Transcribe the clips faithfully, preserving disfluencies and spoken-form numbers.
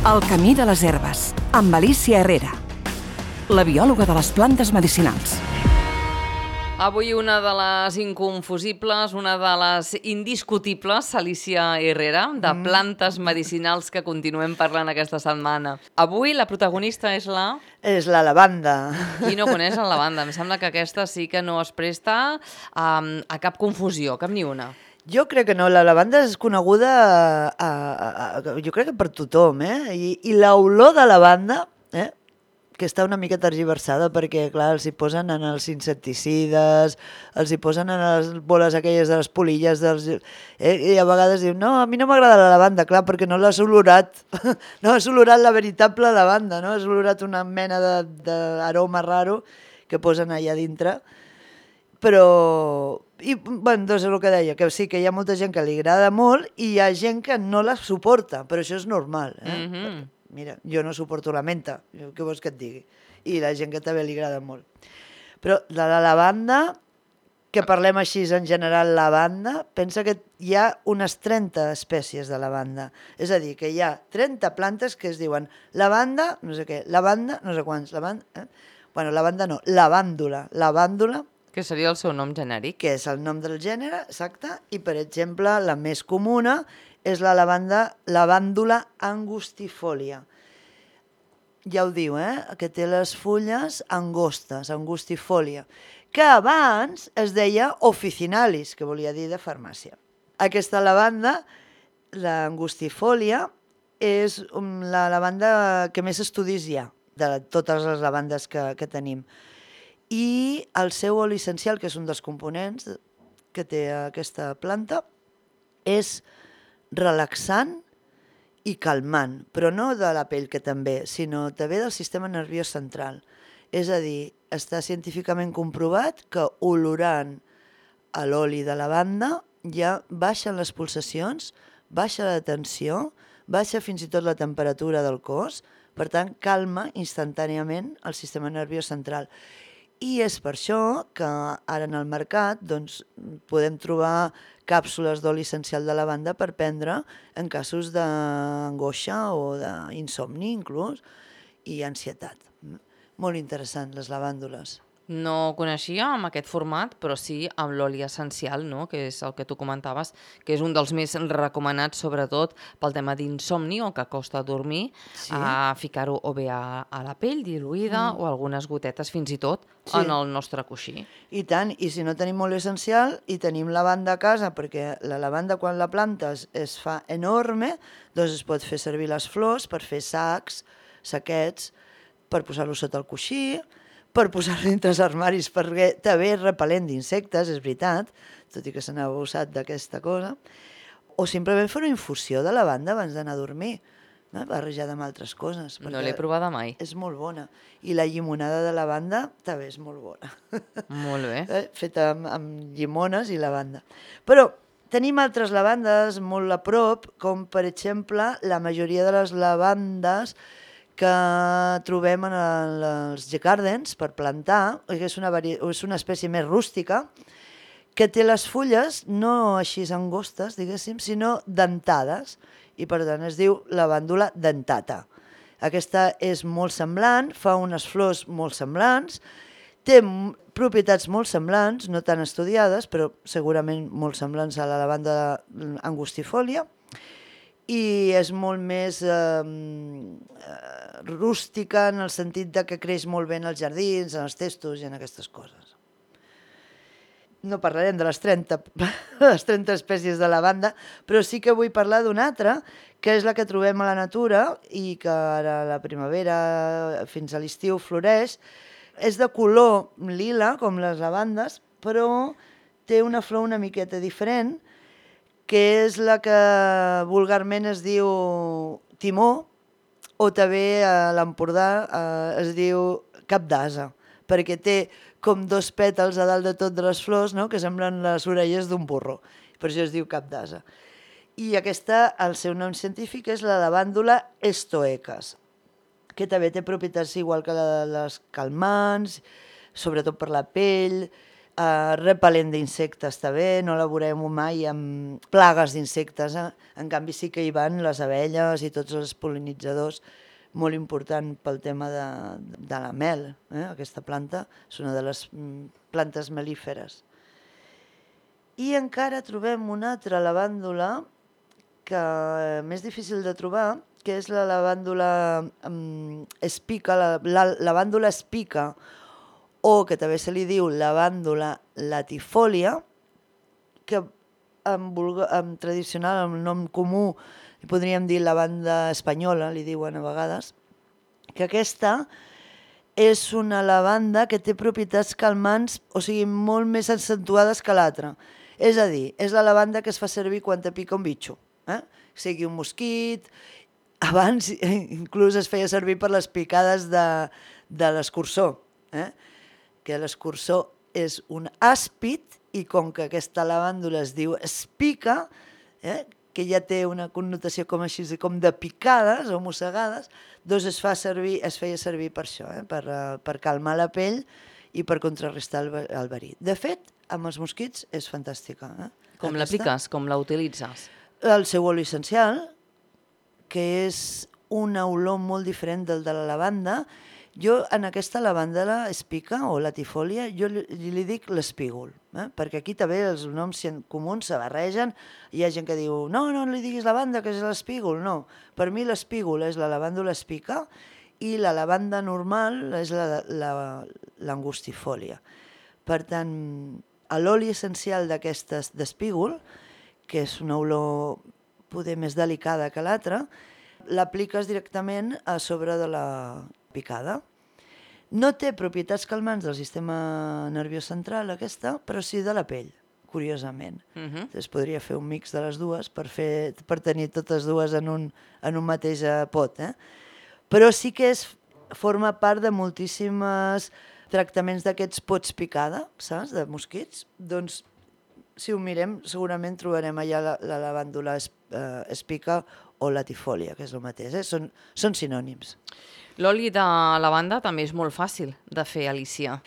El camí de les herbes, amb Alicia Herrera, la biòloga de les plantes medicinals. Avui una de les inconfusibles, una de les indiscutibles, Alicia Herrera, de plantes medicinals que continuem parlant aquesta setmana. Avui la protagonista és la... És la lavanda. Qui no coneix la lavanda? Em sembla que aquesta sí que no es presta um, a cap confusió, cap ni una. Jo crec que no, la lavanda és coneguda, a, a, a, jo crec que per tothom, eh? I, i l'olor de lavanda, eh? Que està una mica tergiversada perquè, clar, els hi posen en els insecticides, els hi posen en les boles aquelles de les polilles, dels, eh? I a vegades diuen, no, a mi no m'agrada la lavanda, clar, perquè no l'has olorat, no has olorat la veritable lavanda, no? Has olorat una mena d'aroma raro que posen allà dintre, però... I, bueno, doncs és el que deia, que sí, que hi ha molta gent que li agrada molt i hi ha gent que no la suporta, però això és normal, eh? Mm-hmm. Mira, jo no suporto la menta, què vols que et digui? I la gent que també li agrada molt. Però de la lavanda, que parlem així en general lavanda, pensa que hi ha unes trenta espècies de lavanda. És a dir, que hi ha trenta plantes que es diuen lavanda, no sé què, lavanda, no sé quants, lavanda, eh? Bueno, lavanda no, lavàndula, lavàndula, que seria el seu nom genèric. Que és el nom del gènere, exacte, i per exemple la més comuna és la lavanda, lavàndula angustifolia. Ja ho diu, eh? Que té les fulles angostes, angustifolia, que abans es deia officinalis, que volia dir de farmàcia. Aquesta lavanda, l'angustifolia, és la lavanda que més estudis hi ha, de totes les lavandes que, que tenim. I el seu oli essencial, que és un dels components que té aquesta planta, és relaxant i calmant, però no de la pell, que també, sinó també del sistema nerviós central. És a dir, està científicament comprovat que olorant l'oli de lavanda ja baixen les pulsacions, baixa la tensió, baixa fins i tot la temperatura del cos, per tant, calma instantàniament el sistema nerviós central. I és per això que ara en el mercat doncs, podem trobar càpsules d'oli essencial de lavanda per prendre en casos d'angoixa o d'insomni inclús i ansietat. Molt interessant, les lavàndules. No coneixia amb aquest format, però sí amb l'oli essencial, no? Que és el que tu comentaves, que és un dels més recomanats, sobretot pel tema d'insomni o que costa dormir, sí. A ficar-ho o bé a, a la pell diluïda mm. o algunes gotetes fins i tot sí. En el nostre coixí. I tant, i si no tenim oli essencial i tenim lavanda a casa, perquè la lavanda quan la plantes es fa enorme, doncs es pot fer servir les flors per fer sacs, saquets, per posar-lo sota el coixí, per posar-lo dintre els armaris, perquè també és repel·lent d'insectes, és veritat, tot i que se n'ha abusat d'aquesta cosa, o simplement fer una infusió de lavanda abans d'anar a dormir, no? Barrejada amb altres coses. No l'he provada mai. És molt bona. I la llimonada de lavanda també és molt bona. Molt bé. Eh? Feta amb, amb llimones i lavanda. Però tenim altres lavandes molt a prop, com per exemple la majoria de les lavandes que trobem en els gardens per plantar, que és una, és una espècie més rústica, que té les fulles no així angostes, diguéssim, sinó dentades, i per tant es diu lavàndula dentata. Aquesta és molt semblant, fa unes flors molt semblants, té propietats molt semblants, no tan estudiades, però segurament molt semblants a la lavanda angustifolia, i és molt més eh, rústica en el sentit de que creix molt bé en els jardins, en els testos i en aquestes coses. No parlarem de les trenta, les trenta espècies de lavanda, però sí que vull parlar d'una altra, que és la que trobem a la natura i que ara a la primavera fins a l'estiu floreix. És de color lila, com les lavandes, però té una flor una miqueta diferent, que és la que vulgarment es diu timó, o també a l'Empordà eh, es diu cap d'ase, perquè té com dos pètals a dalt de tot de les flors, no? Que semblen les orelles d'un burro, per això es diu cap d'ase. I aquesta, el seu nom científic és la lavàndula stoecas, que també té propietats igual que la de les calmants, sobretot per la pell, Uh, repel·lent d'insectes també, no la veurem mai amb plagues d'insectes, eh? En canvi sí que hi van les abelles i tots els pol·linitzadors, molt important pel tema de, de la mel, eh? Aquesta planta és una de les plantes melíferes. I encara trobem una altra lavàndula que és més difícil de trobar, que és la lavàndula um, espica, la, la lavàndula espica, o que també se li diu lavàndula latifòlia, que en, en tradicional, en nom comú, li podríem dir lavanda espanyola, li diuen a vegades, que aquesta és una lavanda que té propietats calmants, o sigui, molt més accentuades que l'altra. És a dir, és la lavanda que es fa servir quan te pica un bitxo, eh? Sigui un mosquit, abans inclús es feia servir per les picades de, de l'escurçó, eh? Que l'escurçó és un àspid i com que aquesta lavàndula es diu espica, eh, que ja té una connotació com així, com de picades o mossegades, doncs es, fa servir, es feia servir per això, eh, per, uh, per calmar la pell i per contrarrestar el, el verí. De fet, amb els mosquits és fantàstica. Eh? Com l'apliques? Com la utilitzes? El seu oli essencial, que és una olor molt diferent del de la lavanda. Jo, en aquesta lavanda espica o latifòlia, jo li, li dic l'espígol, eh? Perquè aquí també els noms comuns se barregen. Hi ha gent que diu, no, no li diguis lavanda, que és l'espígol. No, per mi l'espígol és la lavàndula espica i la lavanda normal és l'angustifòlia. Per tant, l'oli essencial d'aquestes d'espígol, que és una olor poder més delicada que l'altra, l'apliques directament a sobre de la picada. No té propietats calmants del sistema nerviós central aquesta, però sí de la pell, curiosament. Uh-huh. Es podria fer un mix de les dues per, fer, per tenir totes dues en un, en un mateix pot. Eh? Però sí que és, forma part de moltíssims tractaments d'aquests pots picada, saps, de mosquits. Doncs, si ho mirem, segurament trobarem allà la, la lavàndula es, eh, espica o latifòlia, que és el mateix. Eh? Són, són sinònims. L'oli de lavanda també és molt fàcil de fer, Alicia.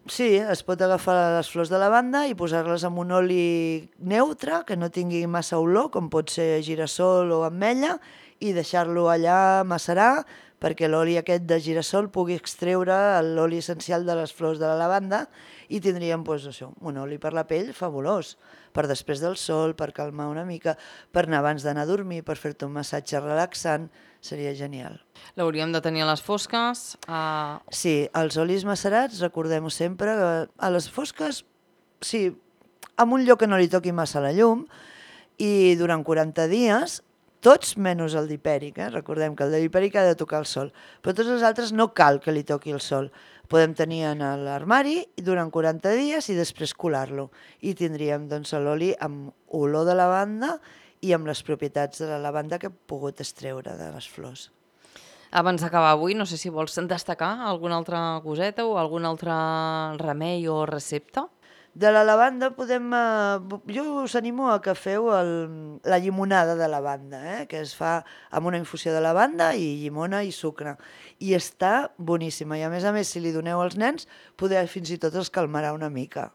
Sí, es pot agafar les flors de lavanda i posar-les en un oli neutre, que no tingui massa olor, com pot ser girassol o ametlla, i deixar-lo allà macerar perquè l'oli aquest de girassol pugui extreure l'oli essencial de les flors de la lavanda i tindríem doncs, això, un oli per la pell fabulós, per després del sol, per calmar una mica, per anar abans d'anar a dormir, per fer-te un massatge relaxant, seria genial. L'hauríem de tenir a les fosques? A... Sí, els olis macerats, recordem-ho sempre, a les fosques, sí, en un lloc que no li toqui massa la llum, i durant quaranta dies, tots menys el dipèric, eh? Recordem que el dipèric ha de tocar el sol, però tots els altres no cal que li toqui el sol. Podem tenir en l'armari durant quaranta dies i després colar-lo. I tindríem doncs, l'oli amb olor de lavanda i amb les propietats de la lavanda que he pogut extreure de les flors. Abans d'acabar avui, no sé si vols destacar alguna altra coseta o algun altre remei o recepta? De la lavanda podem... Eh, jo us animo a que feu el, la llimonada de lavanda, eh, que es fa amb una infusió de lavanda i llimona i sucre. I està boníssima. I a més a més, si li doneu als nens, poder fins i tot els calmarà una mica.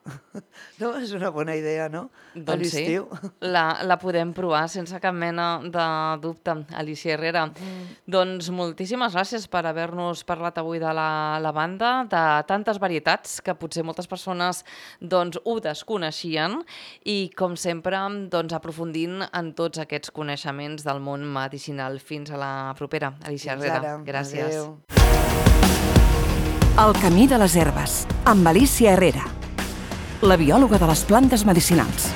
No? És una bona idea, no? Doncs sí, la, la podem provar sense cap mena de dubte, Alicia Herrera. Mm. Doncs moltíssimes gràcies per haver-nos parlat avui de la lavanda, de tantes varietats que potser moltes persones doncs, ho desconeixien i, com sempre, doncs, aprofundint en tots aquests coneixements del món medicinal. Fins a la propera, Alicia Herrera. Gràcies. Adéu. El camí de les herbes, amb Alicia Herrera, la biòloga de les plantes medicinals.